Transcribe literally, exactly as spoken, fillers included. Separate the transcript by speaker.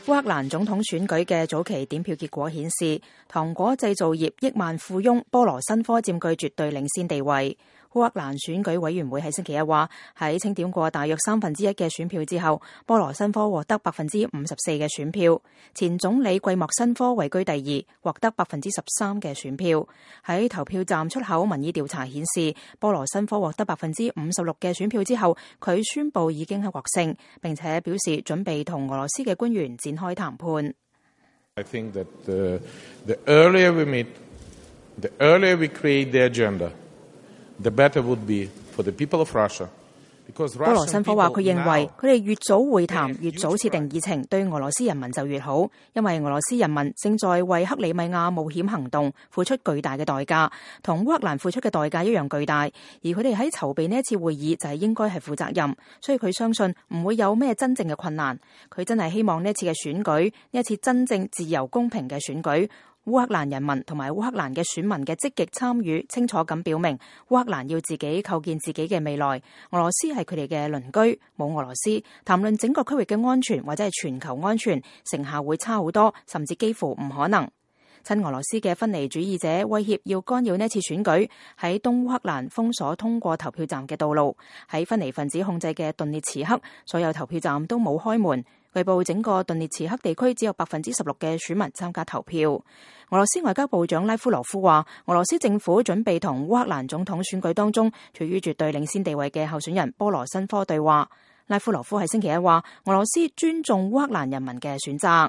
Speaker 1: 烏克蘭總統選舉嘅早期點票結果顯示，糖果製造業億萬富翁波羅申科佔據絕對領先地位。烏克蘭選舉委員會喺星期一話，喺清點過大約三分之一嘅選票之後，波羅申科獲得百分之五十四嘅選票，前總理季莫申科位居第二，獲得百分之十三嘅選票。喺投票站出口民意調查顯示，波羅申科獲得百分之五十六嘅選票之後，佢宣布已經係獲勝，並且表示準備同俄羅斯嘅官員展開談判。
Speaker 2: I think that the, the earlier we meet, the earlier we create the agenda, the better would be for the people of Russia.
Speaker 1: 波羅申科話佢認為佢哋越早會談，越早設定議程，對俄羅斯人民就越好，因為俄羅斯人民正在為克里米亞冒險行動付出巨大嘅代價，同烏克蘭付出嘅代價一樣巨大，而佢哋喺籌備呢一次會議就係應該係負責任，所以佢相信唔會有咩真正嘅困難。佢真係希望呢一次嘅選舉，呢一次真正自由公平嘅選舉，烏克蘭人民同埋烏克蘭嘅選民嘅積極參與，清楚咁表明烏克蘭要自己構建自己嘅未來。俄羅斯係佢哋嘅鄰居，冇俄羅斯，談論整個區域嘅安全或者係全球安全，成效會差好多，甚至幾乎唔可能。親俄羅斯嘅分離主義者威脅要干擾呢次選舉，喺東烏克蘭封鎖通過投票站嘅道路，喺分離分子控制嘅頓涅茨克，所有投票站都冇開門。據報整個頓涅茨克地區只有百分之十六嘅選民參加投票。俄羅斯外交部長拉夫羅夫話，俄羅斯政府準備同烏克蘭總統選舉當中處於絕對領先地位嘅候選人波羅申科對話。拉夫羅夫喺星期一話，俄羅斯尊重烏克蘭人民嘅選擇。